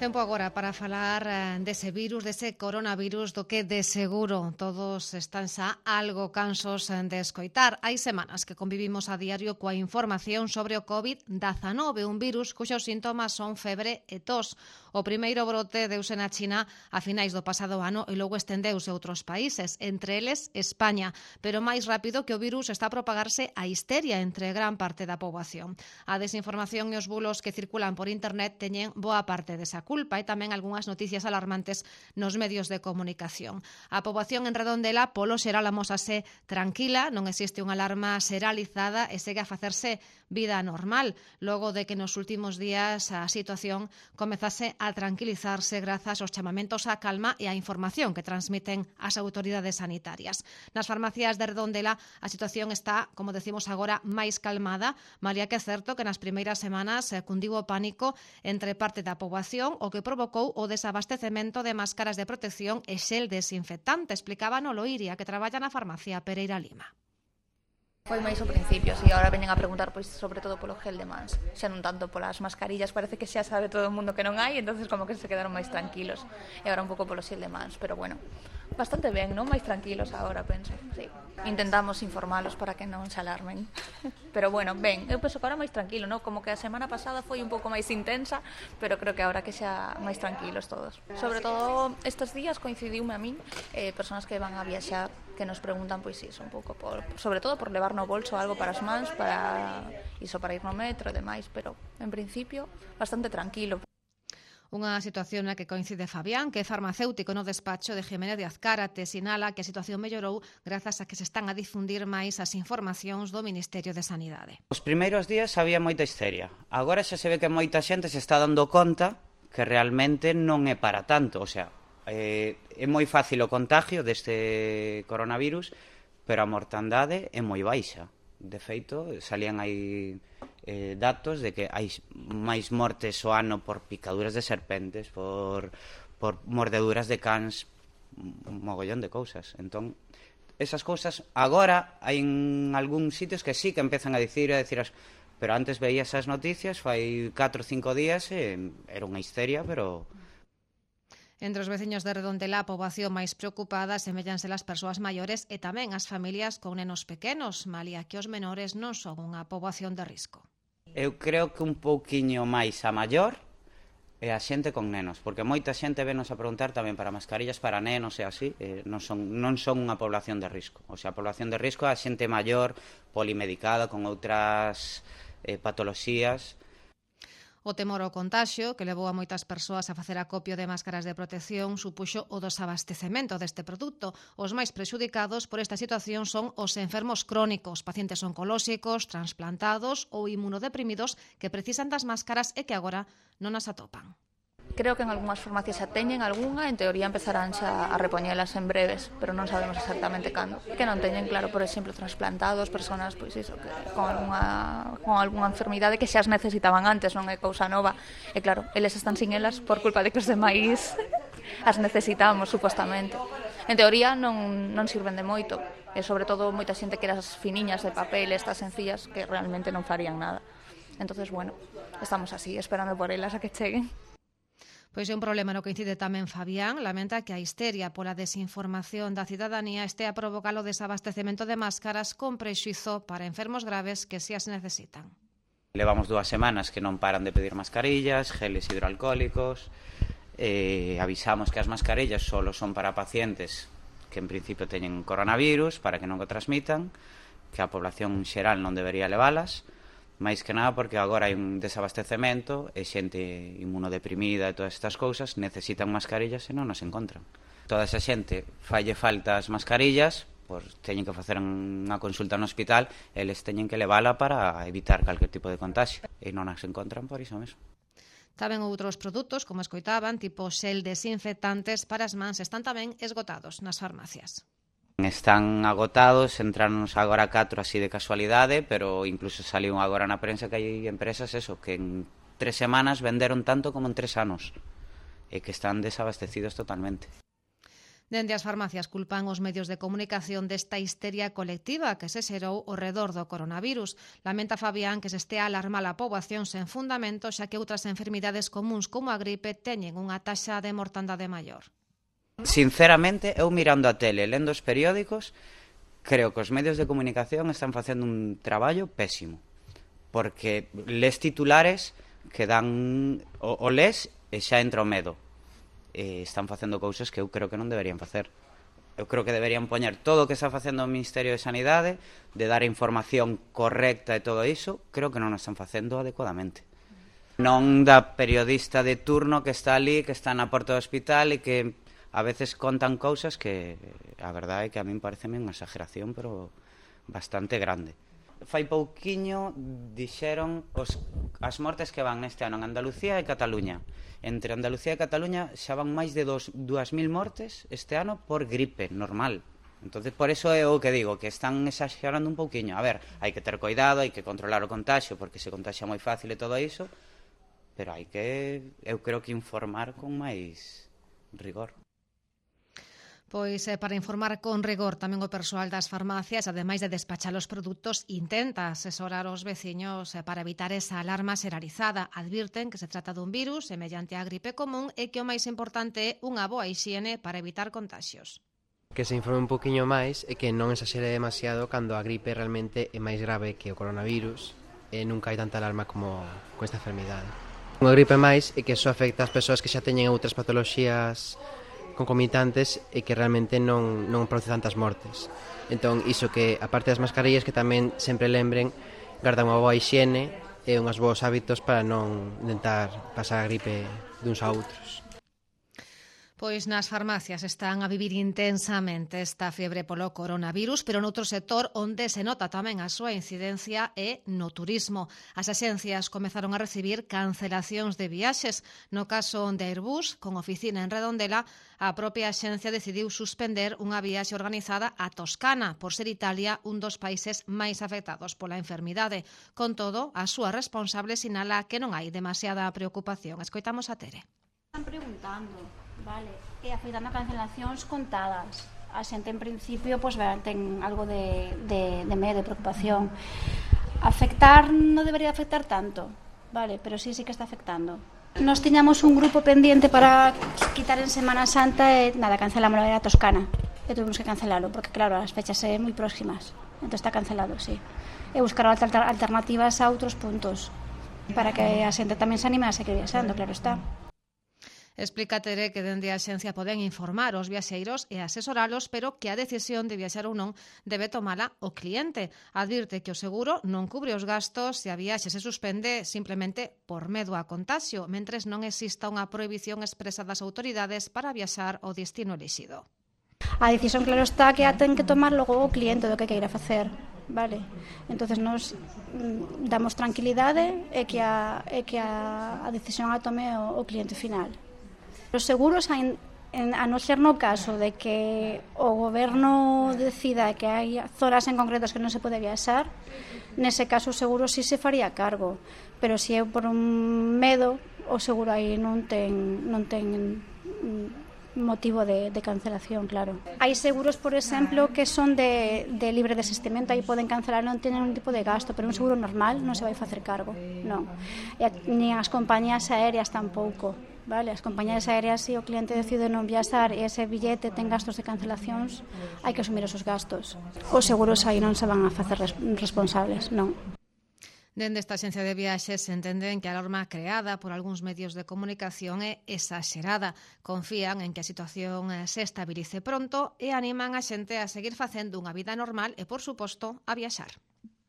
Tempo agora para falar dese virus, dese coronavirus, do que de seguro todos están xa algo cansos de escoitar. Hai semanas que convivimos a diario coa información sobre o COVID-19, un virus cuxos síntomas son febre e tos. O primeiro brote deuse na China a finais do pasado ano e logo estendeuse a outros países, entre eles España, pero máis rápido que o virus está a propagarse a histeria entre gran parte da poboación. A desinformación e os bulos que circulan por internet teñen boa parte desa culpa e tamén algunhas noticias alarmantes nos medios de comunicación. A poboación en Redondela, polo xeral, amósase tranquila, non existe unha alarma xeralizada e segue a facerse vida normal, logo de que nos últimos días a situación comezase a tranquilizarse grazas aos chamamentos á calma e á información que transmiten as autoridades sanitarias. Nas farmacias de Redondela a situación está, como decimos agora, máis calmada, malia que é certo que nas primeiras semanas cundiu o pánico entre parte da poboación, o que provocou o desabastecemento de máscaras de protección e xel desinfectante, explicaba Noloiria, que traballa na farmacia Pereira Lima. Foi máis ao principio, e agora veñen a preguntar pois sobre todo polo gel de mans, xa non tanto polas mascarillas, parece que xa sabe todo o mundo que non hai, entonces como que se quedaron máis tranquilos, e agora un pouco polo gel de mans, pero bueno, bastante ben, non? Máis tranquilos agora, penso, sí. Intentamos informalos para que non se alarmen, pero bueno, ben, eu penso que agora máis tranquilo, non? Como que a semana pasada foi un pouco máis intensa, pero creo que agora que xa máis tranquilos todos. Sobre todo estes días coincidiume a min, persoas que van a viaxar, que nos preguntan, pois iso, un pouco sobre todo por levar no bolso algo para as mans, para iso, para ir no metro e demais, pero en principio bastante tranquilo. Unha situación na que coincide Fabián, que é farmacéutico no despacho de Jiménez de Azcárate, sinala que a situación mellorou grazas a que se están a difundir máis as informacións do Ministerio de Sanidade. Os primeiros días había moita histeria. Agora xa se ve que moita xente se está dando conta que realmente non é para tanto, o sea, é moi fácil o contagio deste coronavirus, pero a mortandade é moi baixa. De feito, salían aí datos de que hai máis mortes ao ano por picaduras de serpentes, por mordeduras de cans, un mogollón de cousas. Entón, esas cousas agora hai en algúns sitios que sí que empezan a dicir, pero antes veías as noticias, fai 4 ou 5 días e era unha histeria, pero... Entre os veciños de Redondela, a poboación máis preocupada seméllanse as persoas maiores e tamén as familias con nenos pequenos, malia que os menores non son unha poboación de risco. Eu creo que un pouquiño máis a maior é a xente con nenos, porque moita xente venos a preguntar tamén para mascarillas para nenos e así, non son unha población de risco. O sea, a población de risco é a xente maior, polimedicada, con outras patoloxías. O temor ao contaxio, que levou a moitas persoas a facer acopio de máscaras de protección, supuxo o desabastecemento deste produto. Os máis prexudicados por esta situación son os enfermos crónicos, pacientes oncolóxicos, transplantados ou inmunodeprimidos que precisan das máscaras e que agora non as atopan. Creo que en algunhas farmacias xa teñen algunha, en teoría empezarán xa a repoñelas en breves, pero non sabemos exactamente cando. Que non teñen, claro, por exemplo, transplantados, personas, pois iso, que con algunha enfermidade que xa as necesitaban antes, non é cousa nova. E claro, eles están sin elas por culpa de que os demais as necesitamos, supostamente. En teoría non sirven de moito, e sobre todo moita xente que eras finiñas de papel, estas sencillas, que realmente non farían nada. Entonces, bueno, estamos así, esperando por elas a que cheguen. Pois é un problema no que incide tamén Fabián, lamenta que a histeria pola desinformación da cidadanía este a provocar o desabastecemento de máscaras con prexuizo para enfermos graves que si as necesitan. Levamos 2 semanas que non paran de pedir mascarillas, geles hidroalcohólicos, avisamos que as mascarillas solo son para pacientes que en principio teñen coronavirus, para que non o transmitan, que a población xeral non debería levalas, máis que nada porque agora hai un desabastecemento e xente inmunodeprimida e todas estas cousas necesitan mascarillas e non as encontran. Toda esa xente falle falta as mascarillas, pois teñen que facer unha consulta no hospital, eles teñen que levala para evitar calquer tipo de contagio e non as encontran por iso mesmo. Tamén outros produtos, como escoitaban, tipo xel desinfectantes para as mans, están tamén esgotados nas farmacias. Están agotados, entranos agora 4 así de casualidade, pero incluso saliu agora na prensa que hai empresas que en 3 semanas venderon tanto como en 3 anos e que están desabastecidos totalmente. Dende as farmacias culpan os medios de comunicación desta histeria colectiva que se xerou ao redor do coronavirus. Lamenta Fabián que se estea a alarmar a poboación sen fundamento, xa que outras enfermidades comuns como a gripe teñen unha taxa de mortandade maior. Sinceramente, eu mirando a tele, lendo os periódicos, creo que os medios de comunicación están facendo un traballo pésimo. Porque les titulares que dan o les e xa entra o medo. Están facendo cousas que eu creo que non deberían facer. Eu creo que deberían poñer todo o que está facendo o Ministerio de Sanidade, de dar a información correcta e todo iso, creo que non o están facendo adecuadamente. Non da periodista de turno que está ali, que está na porta do hospital e que a veces contan cousas que a verdade é que a min pareceme unha exageración, pero bastante grande. Fai pouquiño dixeron as mortes que van neste ano en Andalucía e Cataluña. Entre Andalucía e Cataluña xa van máis de 2.000 mortes este ano por gripe normal. Entonces, por eso é o que digo, que están exagerando un pouquiño. A ver, hai que ter cuidado, hai que controlar o contagio, porque se contagia moi fácil e todo iso, pero hai que, eu creo que informar con máis rigor. Pois para informar con rigor tamén o persoal das farmacias, ademais de despachar os produtos, intenta asesorar os veciños para evitar esa alarma xeralizada. Advirten que se trata dun virus semellante á gripe común e que o máis importante é unha boa hixiene para evitar contaxios. Que se informe un poquinho máis e que non exaxere demasiado cando a gripe realmente é máis grave que o coronavirus e nunca hai tanta alarma como con esta enfermidade. Unha gripe máis é que só afecta as persoas que xa teñen outras patoloxías concomitantes e que realmente non produce tantas mortes. Entón, iso que, aparte das mascarillas, que tamén sempre lembren guardar unha boa hixiene e uns bons hábitos para non intentar pasar a gripe duns a outros. Pois nas farmacias están a vivir intensamente esta fiebre polo coronavirus, pero noutro sector onde se nota tamén a súa incidencia é no turismo. As axencias comezaron a recibir cancelacións de viaxes. No caso de Airbus, con oficina en Redondela, a propia axencia decidiu suspender unha viaxe organizada a Toscana, por ser Italia un dos países máis afectados pola enfermidade. Con todo, a súa responsable sinala que non hai demasiada preocupación. Escoitamos a Tere. Están preguntando, vale, e afectando a cancelacións contadas. A xente, en principio, pues, ten algo de medo, de preocupación. Afectar non debería afectar tanto, vale, pero sí que está afectando. Nos tiñamos un grupo pendiente para quitar en Semana Santa e, nada, cancelamos a Toscana. E tuvimos que cancelalo, porque, claro, as fechas son moi próximas. Entón está cancelado, sí. E buscar alternativas a outros puntos, para que a xente tamén se anime a seguir viaxando, claro está. Explica Tere que dende a axencia poden informar os viaxeiros e asesoralos, pero que a decisión de viaxar ou non debe tomala o cliente. Advirte que o seguro non cubre os gastos se a viaxe se suspende simplemente por medo a contagio, mentres non exista unha prohibición expresa das autoridades para viaxar ao destino elixido. A decisión, claro está, que a ten que tomar logo o cliente do que queira facer. Vale, entonces nos damos tranquilidade e que a decisión a tome o cliente final. Os seguros, a non ser no caso de que o goberno decida que hai zonas en concretos que non se pode viaxar, nese caso o seguro sí se faría cargo, pero se é por un medo, o seguro aí non ten motivo de cancelación, claro. Hai seguros, por exemplo, que son de libre desistimento, aí poden cancelar, non teñen un tipo de gasto, pero un seguro normal non se vai facer cargo, non. E nin as compañías aéreas tampouco. Vale, as compañías aéreas, se o cliente decide non viaxar e ese billete ten gastos de cancelacións, hai que asumir esos gastos. Os seguros aí non se van a facer responsables, non. Dende esta axencia de viaxes entenden que a alarma creada por algúns medios de comunicación é exagerada. Confían en que a situación se estabilice pronto e animan a xente a seguir facendo unha vida normal e, por suposto, a viaxar.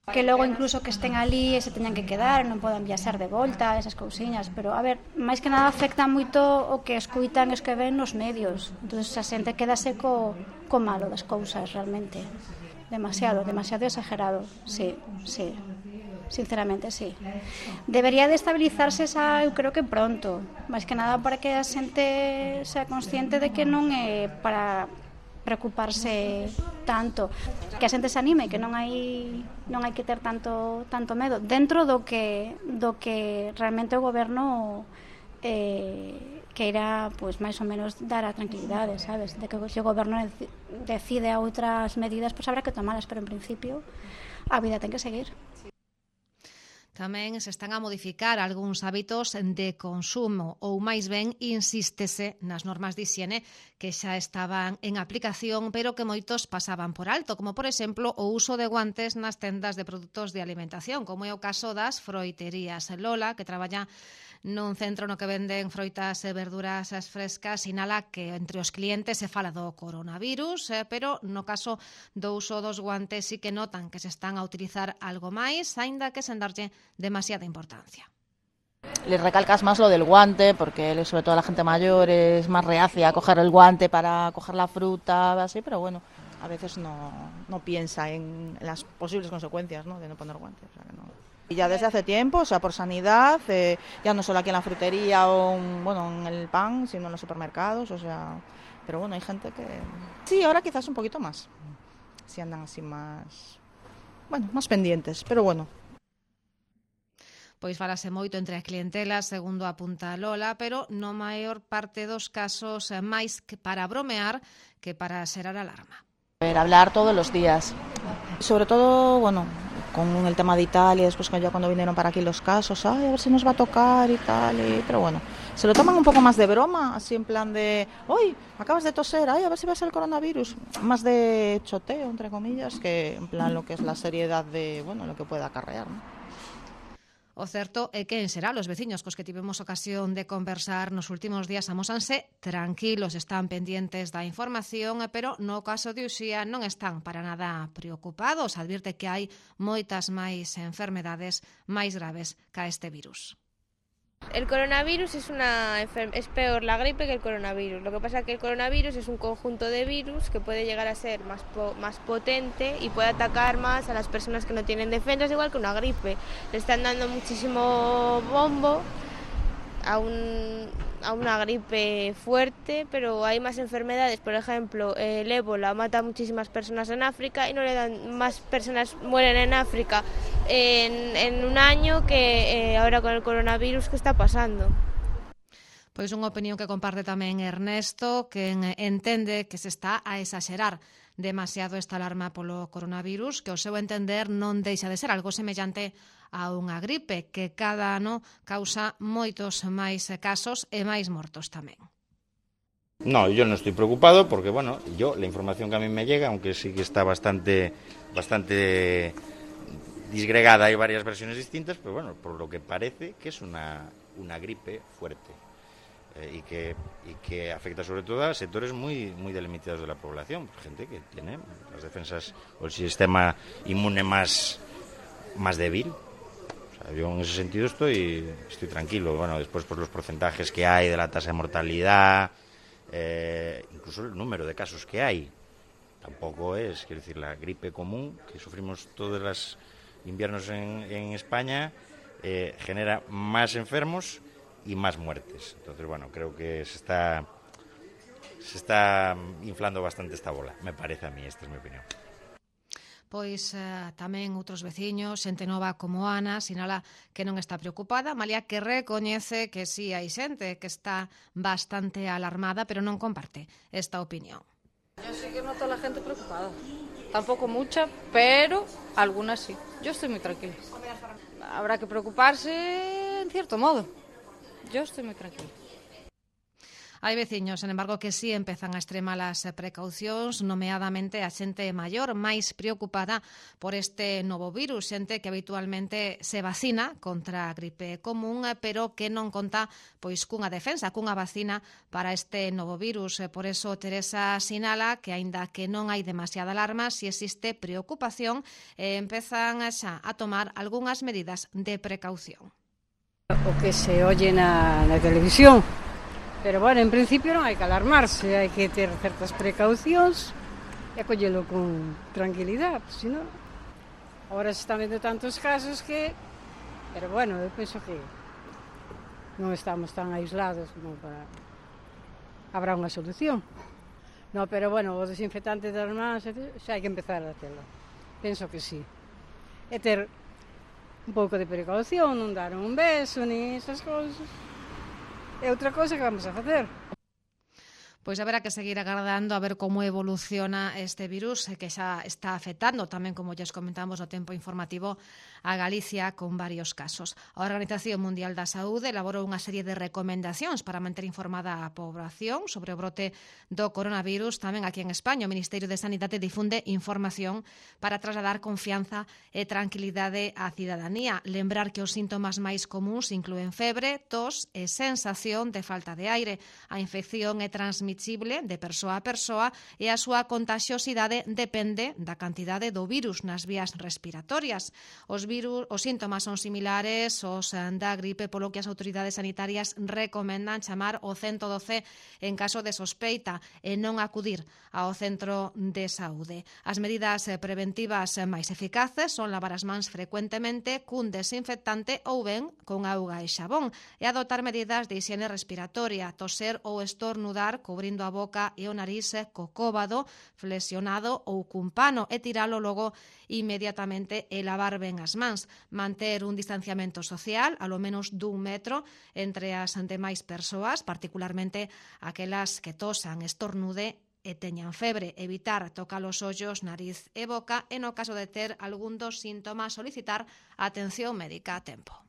Que logo incluso que estén ali e se teñan que quedar, non podan viaxar de volta, esas cousiñas, pero a ver, máis que nada afecta moito o que escuitan e os que ven nos medios. Entón a xente quedase co malo das cousas realmente. Demasiado exagerado, sí. Sinceramente, sí. Debería de estabilizarse eu creo que pronto, máis que nada para que a xente sea consciente de que non é para preocuparse tanto, que a xente se anime, que non hai que ter tanto medo dentro do que realmente o goberno queira, pois, máis ou menos dar a tranquilidade, sabes? De que se o goberno decide outras medidas, pois habrá que tomalas, pero en principio a vida ten que seguir. Tamén se están a modificar algúns hábitos de consumo ou máis ben insístese nas normas de hixiene que xa estaban en aplicación pero que moitos pasaban por alto, como por exemplo o uso de guantes nas tendas de produtos de alimentación, como é o caso das froiterías. Lola, que traballa nun centro no que venden froitas e verduras frescas, sinala que entre os clientes se fala do coronavirus, pero no caso do uso dos guantes sí que notan que se están a utilizar algo máis, aínda que sen darlle demasiada importancia. Les recalcas más lo del guante, porque sobre todo la gente mayor es más reacia a coger el guante para coger la fruta, así, pero bueno, a veces no piensa en las posibles consecuencias, ¿no?, de no poner guantes. O sea, que no. Y ya desde hace tiempo, o sea, por sanidad, ya no solo aquí en la frutería o en el pan, sino en los supermercados, o sea, pero bueno, hay gente que... Sí, ahora quizás un poquito más, si andan así más pendientes, pero bueno. Pois falase moito entre as clientelas, segundo apunta Lola, pero no maior parte dos casos máis que para bromear que para xerar alarma. Hablar todos los días, sobre todo, bueno, con el tema de Italia, después ya cuando vinieron para aquí los casos, a ver si nos va a tocar y tal, pero bueno, se lo toman un poco más de broma, así en plan de, hoy acabas de toser, a ver si va a ser el coronavirus, más de choteo, entre comillas, que en plan lo que es la seriedad de, bueno, lo que pueda acarrear, ¿no? O certo é que en xeral os veciños cos que tivemos ocasión de conversar nos últimos días amósanse tranquilos, están pendientes da información, pero no caso de Uxía non están para nada preocupados. Advirte que hai moitas máis enfermedades máis graves ca este virus. El coronavirus es peor la gripe que el coronavirus. Lo que pasa es que el coronavirus es un conjunto de virus que puede llegar a ser más potente y puede atacar más a las personas que no tienen defensas, igual que una gripe. Le están dando muchísimo bombo a una gripe fuerte, pero hay más enfermedades. Por ejemplo, el ébola mata a muchísimas personas en África y no le dan, más personas mueren en África en un año que ahora con el coronavirus que está pasando. Pois unha opinión que comparte tamén Ernesto, que entende que se está a exaxerar demasiado esta alarma polo coronavirus, que ao seu entender non deixa de ser algo semellante a unha gripe que cada ano causa moitos máis casos e máis mortos tamén. No, yo no estoy preocupado porque, bueno, la información que a mí me llega, aunque sí que está bastante disgregada, hay varias versiones distintas, pero bueno, por lo que parece que es una gripe fuerte y que afecta sobre todo a sectores muy delimitados de la población, gente que tiene las defensas o el sistema inmune más débil. Yo en ese sentido estoy tranquilo. Bueno, después por los porcentajes que hay de la tasa de mortalidad, incluso el número de casos que hay, tampoco es, quiero decir, la gripe común que sufrimos todos los inviernos en España genera más enfermos y más muertes. Entonces, bueno, creo que se está inflando bastante esta bola, me parece a mí, esta es mi opinión. Pois tamén outros veciños, xente nova como Ana, sinala que non está preocupada, malia que recoñece que sí hai xente que está bastante alarmada, pero non comparte esta opinión. Yo sí que noto a la gente preocupada. Tampoco mucha, pero algunas sí. Yo estoy muy tranquila. Habrá que preocuparse en cierto modo. Yo estoy muy tranquila. Hai veciños, sen embargo, que sí empezan a extremar as precaucións, nomeadamente a xente maior máis preocupada por este novo virus, xente que habitualmente se vacina contra a gripe común, pero que non conta pois cunha defensa, cunha vacina para este novo virus. Por eso Teresa sinala que, aínda que non hai demasiada alarma, si existe preocupación e empezan xa a tomar algunhas medidas de precaución. O que se oye na televisión. Pero, bueno, en principio non hai que alarmarse, hai que ter certas precaucións e acollelo con tranquilidade, senón agora se están vendo tantos casos que... Pero, bueno, eu penso que non estamos tan aislados como para... Habrá unha solución. No, pero, bueno, o desinfectante das mans xa hai que empezar a telo. Penso que sí. E ter un pouco de precaución, non dar un beso, ni esas cousas. É outra cosa que vamos a facer. Pois haberá que seguir agardando a ver como evoluciona este virus que xa está afectando tamén, como lles comentamos no tempo informativo, a Galicia con varios casos. A Organización Mundial da Saúde elaborou unha serie de recomendacións para manter informada a poboación sobre o brote do coronavirus. Tamén aquí en España o Ministerio de Sanidade difunde información para trasladar confianza e tranquilidade á cidadanía. Lembrar que os síntomas máis comuns inclúen febre, tos e sensación de falta de aire. A infección é transmisible de persoa a persoa e a súa contaxiosidade depende da cantidade do virus nas vías respiratorias. Os síntomas son similares aos da gripe, polo que as autoridades sanitarias recomendan chamar o 112 en caso de sospeita e non acudir ao centro de saúde. As medidas preventivas máis eficaces son lavar as mans frecuentemente cun desinfectante ou ben con auga e xabón e adoptar medidas de higiene respiratoria, toser ou estornudar cubrindo a boca e o nariz co cóbado, flexionado ou cun pano e tiralo logo inmediatamente e lavar ben as mans. Manter un distanciamento social, alo menos d'1 metro, entre as demais persoas, particularmente aquelas que tosan, estornude e teñan febre. Evitar tocar os ollos, nariz e boca e no caso de ter algún dos síntomas solicitar atención médica a tempo.